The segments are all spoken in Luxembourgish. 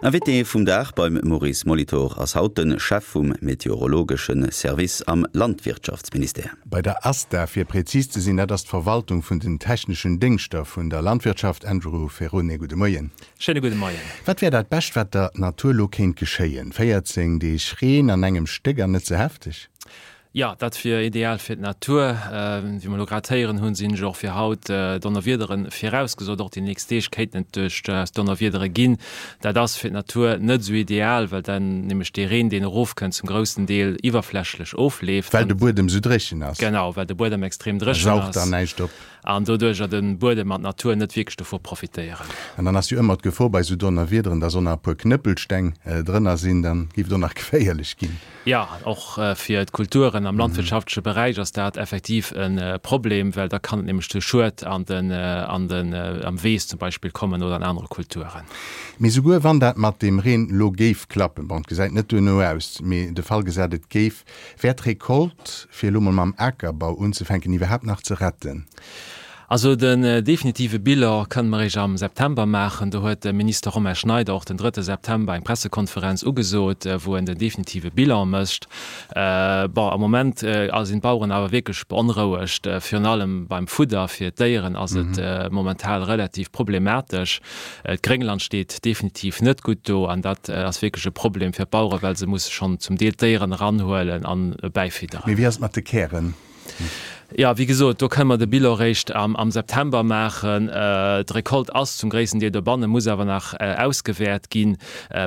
Invité vum Dag beim Maurice Molitor ass haut de Chef vum meteorologesche Service am Landwirtschaftsministère. Bei der ASTA, fir präzis ze sinn, dat ass d'Verwaltung vun den techneschen Déngschter vun der Landwirtschaft. Andrew Ferrone, gudde Moien. Schéine gudde Moien. Wat wär dat Bescht, wat der Natur lo kéint geschéien? 14 Deeg Reen an engem Stéck an net ze hefteg? Jo, dat wier ideal fir d'Natur. Wéi mer elo grad héieren hunn, sinn jo och fir haut Donnerwiedere virausgesot. Och déi nächst Deeg kéinten et duerchaus Donnerwiedere ginn. Dat ass fir d'Natur net esou ideal, well dann nämlech dee Reen, deen erofkënnt, zum groussen Deel iwwerflächlech ofleeft. Well de Buedem esou dréchen ass. Genau, well de Buedem extrem dréchen ass. E saugt dann näischt op. An doduercher de Buedem an d'Natur net wierklech dovu profitéieren. An dann ass jo ëmmer d'Gefor bei esou Donnerwiederen, dass och nach e puer Knëppelsteng drënner sinn, dann géif et och nach geféierlech ginn. Jo, och fir d'Kulturen am landwirtschaftleche Beräich ass dat effektiv e Problem, well da kann et nämlech zu Schued an den, an den, am Weess zum Beispill kommen oder an anere Kulturen. Mee souguer wann dat mat deem Reen elo géif klappen, bon, et gesäit net duerno aus, mee de Fall gesat et géif, Wär d'Recolte, fir elo mol mam Akerbau unzefänken, iwwerhaapt nach ze retten? Also den definitive Bilan kënne mer eréischt am September maachen. Do huet de Minister Romain Schneider och den drëtte September eng Pressekonferenz ugesot, wou en den definitive Bilan mécht. Bon, am Moment sinn d'Baueren awer wierklech beonrouegt. Virun allem beim Fudder fir d'Déieren ass et momental relativ problematesch. D'Gréngland steet definitiv net gutt do an dat ass wierklech e Problem fir d'Baueren, well se musse schonn zum Deel d'Déieren eranhuelen an bäifidderen. Mee wéi ass et mat de Kären? Jo, wéi gesot, do kënne mer de Bilan eréischt am September maachen. D'Recolte ass zum gréissten Deel dobannen, muss awer nach ausgewäert ginn.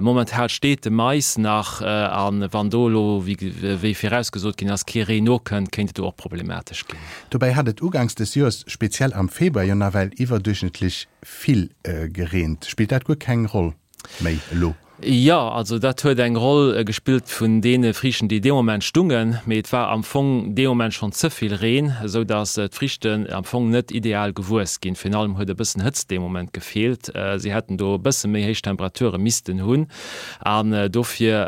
Momentan steet de Mais nach a wann do elo, wéi virausgesot ginn ass, kee Reen nokënnt, kéint et do och problematesch ginn. Dobäi hat et uganks des Joers, speziell am Februar, jo nawell iwwerduerchschnëttlech Vill gereent. Spillt dat guer keng Roll méi elo? Jo, also dat huet eng Roll gespillt vun deene Friichten, déi dee Moment stungen, mee et war am Fong dee Moment schonn ze vill Reen, esou datt d'Friichten am Fong net ideal gewuess ginn. Virun allem huet e bëssen Hëtzt dee Moment gefeelt. Si hätten do e bësse méi héich Temperature missten hunn an dofir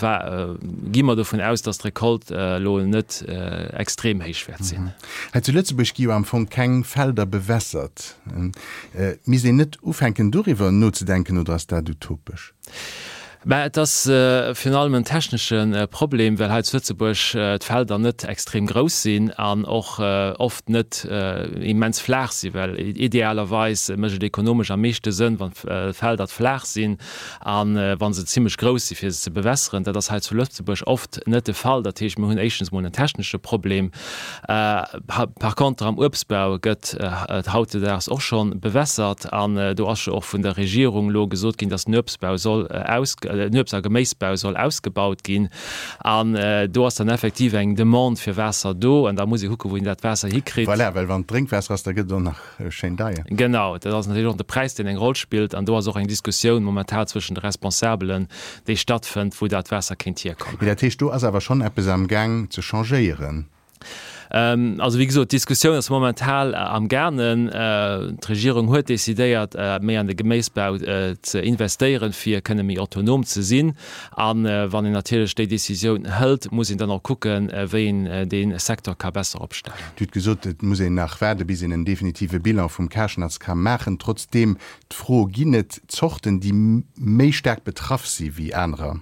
war, gi mer dovun aus, datt d'Recolte elo net extrem héich wäert sinn. Hei zu Lëtzebuerg gi jo am Fong keng Felder bewässert. Misst een net ufänken doriwwer nozedenken oder ass dat utopesch? Mä et ass virun allem en technesche Problem, well hei zu Lëtzebuerg d'Felder net extrem grouss sinn an och oft net immens flaach sinn, well idealerweis mécht et ekonomesch am meeschte Sënn, wann d'Felder flaach sinn a wa se zimlech grouss si fir se ze bewässeren. Dat ass hei zu Lëtzebuerg oft net de Fall. Dat heescht, mir hunn éischtens emol en technesche Problem. Par contre am Uebstbau gëtt et hautdesdaags och scho bewässert an do ass jo och vun der Regierung elo gesot ginn, datt den Uebstbau soll aus, den Uebst a Geméisbau soll ausgebaut ginn an do ass dann effektiv eng Demande fir Waasser do an da muss ee kucken, wou een dat Waasser hikritt. Voilà, well wann et Drénkwaasser ass, da gëtt et och nach schéin deier. Genau, dat ass natierlech och de Präis, deen eng Roll spillt an do ass och eng Diskussioun momentan zwëschen de Responsabelen, déi stattfënnt, wou dat Waasser kéint hierkommen. Mee dat heescht, do ass awer schonn eppes am Gaang ze changéieren? Also wéi gesot, d'Diskussioun ass momental am gaangen. D'Regierung huet decidéiert, méi an de Geméisbau ze investéieren, fir kënne méi autonom ze sinn. A wann een natierlech déi Decisioun hëlt, muss een dann och kucken, wéi een dee Secteur ka besser opstellen. Dir hutt gesot, et muss een nach waarde bis een en definitive Bilan vum Karschnatz ka maachen. Trotzdeem d'Fro, Ginn et Zorten, déi méi staark betraff si wéi anerer,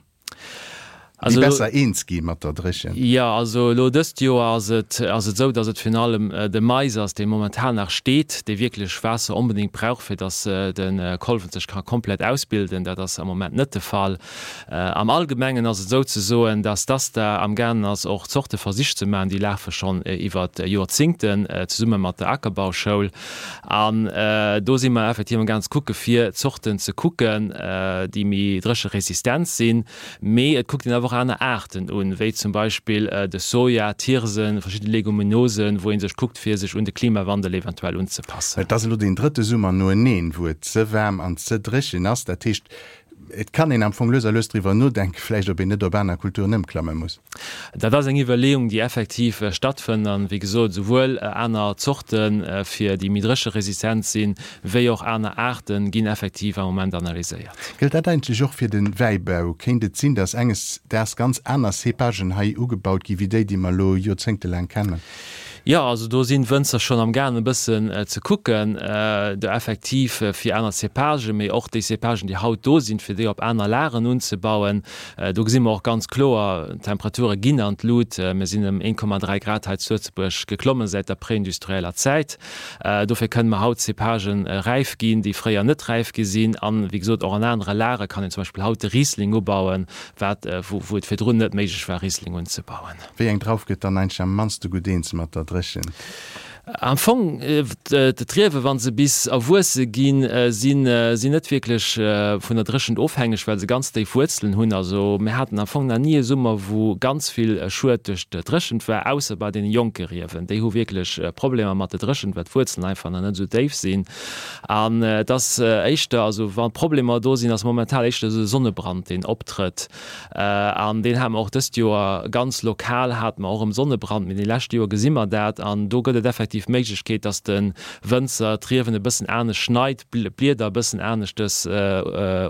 déi besser eens gi mat der Dréchent? Jo, also elo dëst Joer ass et ass et esou, datt et virun allem de Mais ass, dee momentan nach steet, dee wierklech Waasser onbedéngt brauch, fir datt de Kolwen sech ka komplett ausbilden. Dat ass am Moment net de Fall. Am Allgemengen ass et esou ze soen, datt d'ASTA amgaangen ass, och Zorteversich ze maachen. Déi lafe schonn iwwer Joerzingten zesumme mat der Akerbauschoul. An do si mer effektiv am gaang ze kucke fir Zorten ze kucken, déi méi drécheresistent sinn. Mee et kuckt een awer och aner Aarten un, wéi zum Beispill de Soja, d'Hirsen, verschidde Leguminosen, wou ee sech kuckt fir sech un de Klimawandel eventuell unzepassen. Et ass elo deen drëtte Summer noeneen, wou et ze waarm an ze dréchen ass. Dat heescht, Et kann een am Fong lues a lues driwwer nodenken, vläicht ob een net op aner Kulturen ëmklamme muss. Dat ass eng Iwwerleeung, déi effektiv stattfënnt. An, wéi gesot, esouwuel aner Zorte fir déi méi drécheresistent sinn, wéi och aner Aarte ginn effektiv am Moment analyséiert. Gëllt dat eigentlech och fir de Wäibau? Kéint et sinn, datt enges Daags ganz aner Cépagen hei ugebaut gi wéi déi, déi mer elo joerzéngtelaang kennen? Jo, also do sinn d'Wënzer schonn am gaangen e bëssen ze kucken, do effektiv fir aner Cépagen, mee och déi Cépagen, déi haut do sinn, fir déi op aner Lagen unzebauen. Do gesi mer och ganz kloer, d'Temperature ginn an d'Lut. Mir sinn ëm 1,3 Grad hei zu Lëtzebuerg geklommen säit der préindustrieller Zäit. Dofir kënne mer haut Cépagen räif ginn, déi fréier net räif gi sinn. An, wéi gesot, och an anere Lage kann een zum Beispill haut de Riesling ubauen, wat, wou et virdrun net méiglech war, Riesling unzebauen. Wéi eng Drauf gëtt dann eigentlech am mannste gutt eens mat der Dréchent? Am Fong, d'Riewe wa se bis erwuesse ginn, sinn si net wierklech vun der Dréchent ofhängeg, well se ganz déif Wuerzelen hunn. Also mir haten am Fong nach ni e Summer, wou ganz vill Schued duerch d'Dréchent war, ausser bei deene jonke Riewen. Déi hu wierklech Problemer mat der Dréchent, well d'Wuerzelen einfach nach net esou déif sinn. An et ass éischter, also wa Problemer do sinn, ass momentan éischter esou de Sonnebrand, deen optrëtt. An deen hate mer och dëst Joer ganz lokal, hate mer och erëm Sonnebrand, mee déi lescht Joer gesi mer dat. An do gëtt et effektiv d'Méiglechkeet, dass de Wënzer d'Riewen e bëssen anescht schneit, d'Blieder e bëssen aneschtes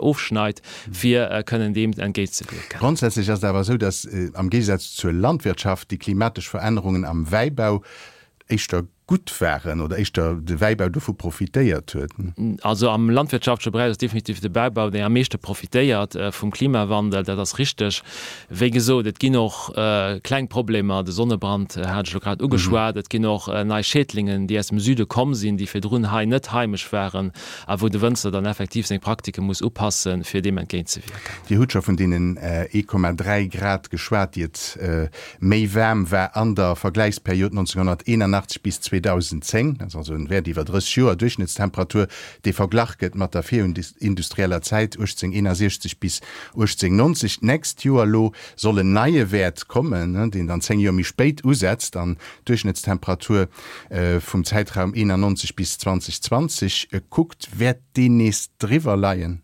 ofschneit, fir kënnen deem entgéintzewierken. Grondsätzlech ass et awer esou, dass am Géigesaz zur Landwirtschaft déi klimatesch Verännerungen am Wäibau éischter gutt waren oder éischter de Wäibau dovu profitéiert huet. Also am landwirtschaftleche Beräich ass definitiv de Wäibau deen am meeschte profitéiert vum Klimawandel, dat ass richteg. Wéi gesot, et ginn och kleng Problemer, de Sonnebrand hat ech elo grad ugeschwat, et ginn och nei Schädlingen, déi aus dem Süde komm sinn, déi virdrun hei net heimesch waren a wou de Wënzer dann effektiv seng Praktike muss upassen, fir deem entgéintzewierken. Dir hutt scho vun deenen 1,3 Grad geschwat, déi et méi waarm war an der Vergläichsperiod 1981 bis 2010, dat ass also en Wäert iwwer 30 Joer, Duerchschnëttstemperatur, dee verglach gëtt mat der virindustrieller Zäit 1861 bis 1890. D'nächst Joer elo soll en neie Wäert kommen, deen dann 10 Joer méi spéit usetzt an d'Duerchschnëttstemperatur vum Zäitraum 91 bis 2020 kuckt. Wäert deen nees driwwer leien?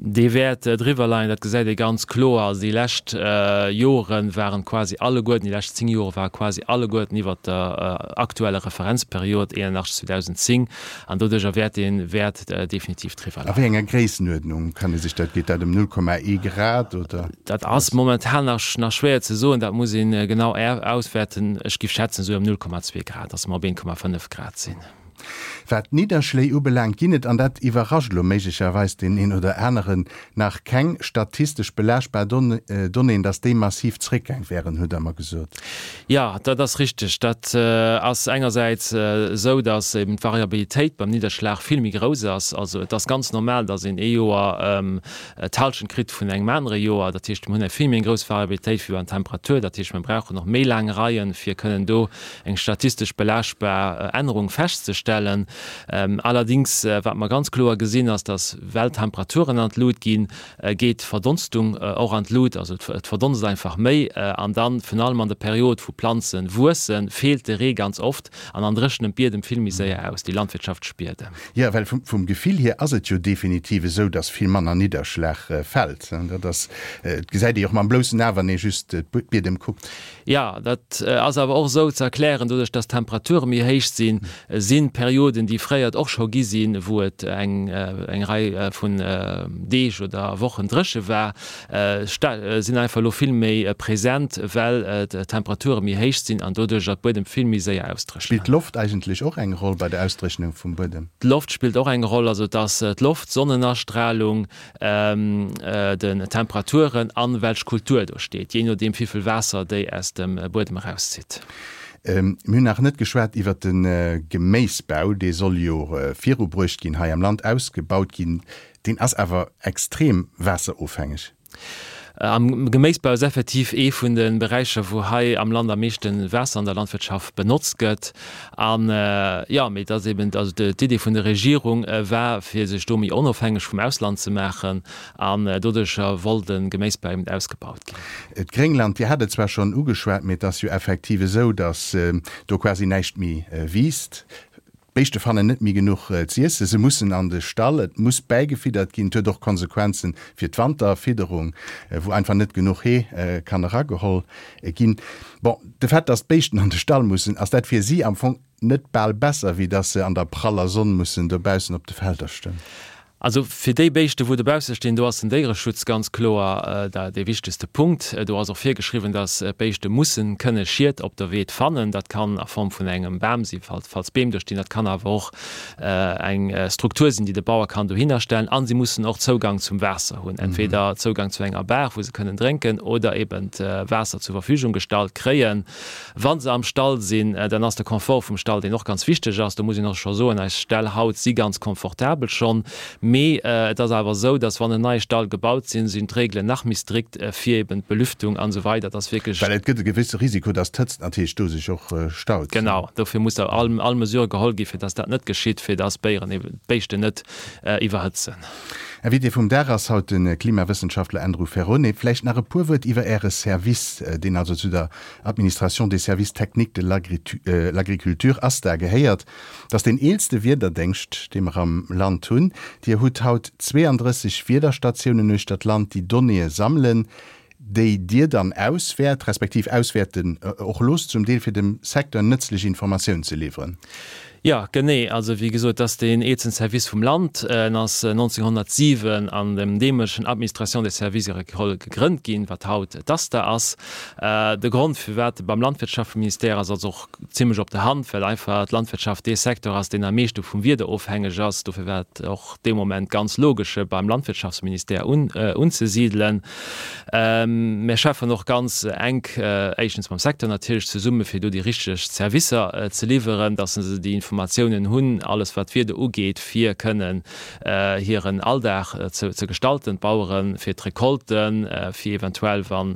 Dee wäert driwwer leien, dat gesäit ee ganz kloer. Also déi lescht Jore waren quasi alleguerten, déi lescht 10 Jore ware quasi alleguerten iwwert der aktueller Referenzperiod 81, 2010 an doduercher wäert dee Wäert definitiv driwwer A wéi leien. enger Gréissenuerdnung kann ee sech dat, geet dat ëm 0,1 Grad oder? Dat ass momentan nach nach schwéier ze soen, dat muss ee genau auswäerten. Ech géif schätzen esou ëm 0,2 Grad, datt mer op 1,5 Grad sinn. Wat d'Nidderschléi ubelaangt, ginn et, an dat iwwerrascht elo méiglecherweis deen een oder aneren, nach keng statistesch belaaschtbar Donnéeën, dass déi massiv zréckgaang wären, hutt Der mer gesot. Jo, dat ass richteg. Dat ass engersäits esou, dass eben d'Variabilitéit beim Nidderschlag vill méi grouss ass. Also et ass ganz normal, dass een ee Joer d'Hallschent kritt vun engem anere Joer. Dat heescht, mir hunn eng vill méi grouss Variabilitéit wéi beim Temperatur. Dat heescht, mir brauchen och méi laang Reien, fir kënnen do eng statistesch belaaschtbar Ännerung festzestellen. Allerdings, wat mer ganz kloer gesinn, ass, dass well d'Temperaturen an d'Lut ginn, geet d'Verdonstung och an d'Lut, also et verdonst einfach méi. An dann, virun allem an der Period, wou Planze wuessen, feelt de Ree ganz oft an dann dréchnen d'Biedem vill méi séier aus, déi landwirtschaftlech Biedem. Jo, well vum Gefill hier ass et jo definitiv esou, dass vill manner Nidderschlag fält. Dat ass, dat gesäit ee jo och mam bloussen A, wann ee just d'Biedem kuckt. Jo, dat ass awer och esou ze erklären, doduerch dass d'Temperature méi héich sinn, si Perioden, déi fréier et och scho gi sinn, wou et eng eng Rei vun Deeg oder Wochen dréche war, sinn einfach elo vill méi present, well d'Temperature méi héich sinn an doduercher d'Buedem vill méi séier ausdréchnen. Spillt d'Loft eigentlech och eng Roll bei der Ausdréchnung vum Buedem? D'Loft spillt och eng Roll, also et ass d'Loft, d'Sonnenastralung, den Temperaturen an welch Kultur do steet, jee nodeem wivill Waasser déi aus dem Buedem erauszitt. Mir hunn nach net geschwat iwwert de Geméisbau, dee soll jo virubruecht ginn, hei am Land ausgebaut ginn. Deen ass awer extrem waasserofhängeg. Am Geméisbau ass effektiv ee vun de Beräicher, wou hei am Land am meeschte Waasser an der Landwirtschaft benotzt gëtt. An, jo, mee et ass eben, also d'Idee vun der Regierung war, fir sech do méi onofhängeg vum Ausland ze maachen. An doduercher wollt de Geméisbau eben ausgebaut ginn. D'Gréngland, Dir hat et zwar schonn ugeschwat, mee et ass jo effektiv esou, datt do quasi näischt méi wiisst. D'Béischte fannen net méi genuch z'iessen, se mussen an de Stall, et muss bäigefiddert ginn. Et huet och Konsequenzen fir d'Wanterfidderung, wou einfach net genuch Hee kann erageholl ginn. Bon, de Fait, datt d'Béischten an de Stall mussen, ass dat fir si am Fong net bal besser, wéi datt se an der praller Sonn mussen dobaussen op de Felder stoen? Also fir déi Béischte wou dobausse stinn, do ass den Déiereschutz ganz kloer dee wichtegste Punkt. Do ass och virgeschriwwen, datt d'Béischte mussen kënne Schied op der Weed fannen. Dat kann a Form vun engem Bam sinn, falls Beem do stinn. Dat kann awer och eng Struktur sinn, déi de Bauer kann dohinner stellen. A si mussen och Zougang zum Waasser hunn, entweder Zougang zu enger Baach, wou se kënnen drénken, oder eben Waasser zur Verfügung gestallt kréien. Wa se am Stall sinn, dann ass de Confort vum Stall, deen och ganz wichteg ass. Do muss een och scho soen, eis Ställ haut si ganz confortabel schonn. Mee et ass awer esou, dass wann en neie Stall gebaut sinn, sinn d'Regelen nach méi strikt fir eben d'Belüftung an esou weider. Et ass wierklech. Well et gëtt e gewësse Risiko, dass d'Hëtzt natierlech do sech och staut. Genau, dofir muss da all all Mesure geholl gi fir dass dat net geschitt, fir dass d'Béieren eben, d'Béischten net iwwerhëtzen. Invité vum Dag ass haut de Klimawëssenschaftler Andrew Ferrone. Vläicht nach e puer Wuert iwwer Äre Service, deen also zu der Administration des services techniques de l'agriculture, ASTA, gehéiert. Dat ass deen eelste Wiederdéngscht, dee mer am Land hunn. Dir hutt haut 32 Wiederstatiounen uechter d'Land, déi Donnéeë sammelen, déi Dir dann auswäert, respektiv auswäerten och loosst zum Deel, fir dem Secteur nëtzlech Informatioun ze liwweren. Jo, genee. Also wéi gesot, et ass deen eelsten Service vum Land. En ass 1907 an dem deemolegen Administration des services agricoles gegrënnt ginn, wat haut d'ASTA ass. De Grond, firwat e beim Landwirtschaftsministère ass, ass och zimlech op der Hand, well einfach d'Landwirtschaft dee Secteur ass, deen am meeschte vum Wieder ofhängeg ass. Dofir war et och dee Moment ganz logesch, e beim Landwirtschaftsministère unzesidelen. Mir schaffen och ganz enk éischtens mam Secteur natierlech zesummen, fir do déi richteg Servicer ze liwweren, dass se déi Informatiounen hunn, alles wat d'Wieder ugeet, fir kënnen hiren Alldag ze gestalten, d'Baueren, fir d'Recolten, fir eventuell wa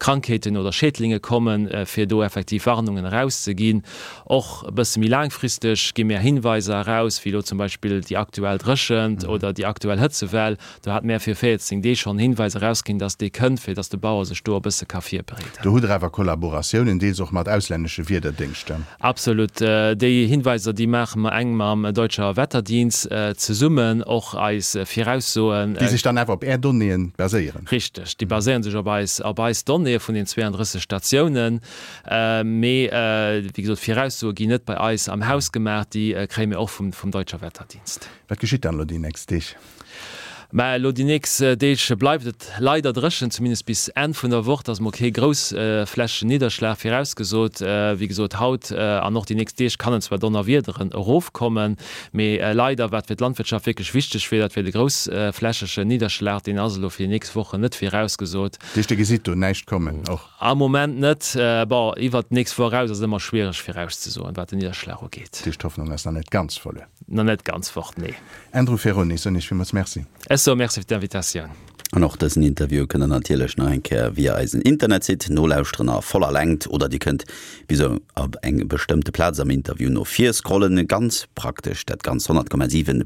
Krankheeten oder Schädlinge kommen, fir do effektiv Warnungen erauszeginn. Och e bësse méi laangfristeg gi mir Hinweiser eraus, wéi elo zum Beispill déi aktuell Dréchent oder déi aktuell Hëtzewell. Do hat mär fir 14 Deeg schonn Hinweis erausginn, dass dee kënnt, fir dass de Bauer sech do e bësse ka virbereeden. Do hutt Der awer Kollaboratiounen, deels och mat auslännesche Wiederdéngschter. Absolut. Déi Hinweiser, déi maache mer enk mam Deutscher Wetterdienst zesummen, och eis Viraussoen. Déi sech dann awer op Är Donnéeën baséieren. Richteg, déi baséieren sech op eis, op eis Donnéeë vun den 32 Statiounen. Mee, wéi gesot, Viraussoe ginn net bei eis am Haus gemaach, déi kréie mir och vum, vum Deutscher Wetterdienst. Wat geschitt dann elo déi nächst Deeg? Mä elo déi nächst Deeg bleift et leider dréchen, zumindest bis Enn vun der Woch. Et ass mol kee groussflächegen Nidderschlag virausgesot. Wéi gesot, haut an och déi nächst Deeg kann en zwar Donnerwiederen erofkommen, mee leider, wat fir d'Landwirtschaft wierklech wichteg wier, dat wier de groussflächegen Nidderschlag, deen ass elo fir déi nächst Wochen net virausgesot. Dat heescht, Dir gesitt do näischt kommen och? Am Moment net. Bon, iwwert d'nächst Woch eraus ass et ëmmer schwiereg virauszesoen, wat den Nidderschlag ugeet. Dat heescht, d'Hoffnung ass nach net ganz verluer? Nach net ganz fort, nee. Andrew Ferrone, ech soen Iech villmools Merci. Ech soe Merci fir d'Invitatioun. An och dësen Interview kënnt der natierlech nach eng Kéier via eisen Internetsite nolauschteren a voller Längt oder Dir kënnt bis op eng bestëmmte Plaz am Interview no vir scrollen. Ganz praktesch dat Ganzt 100,7.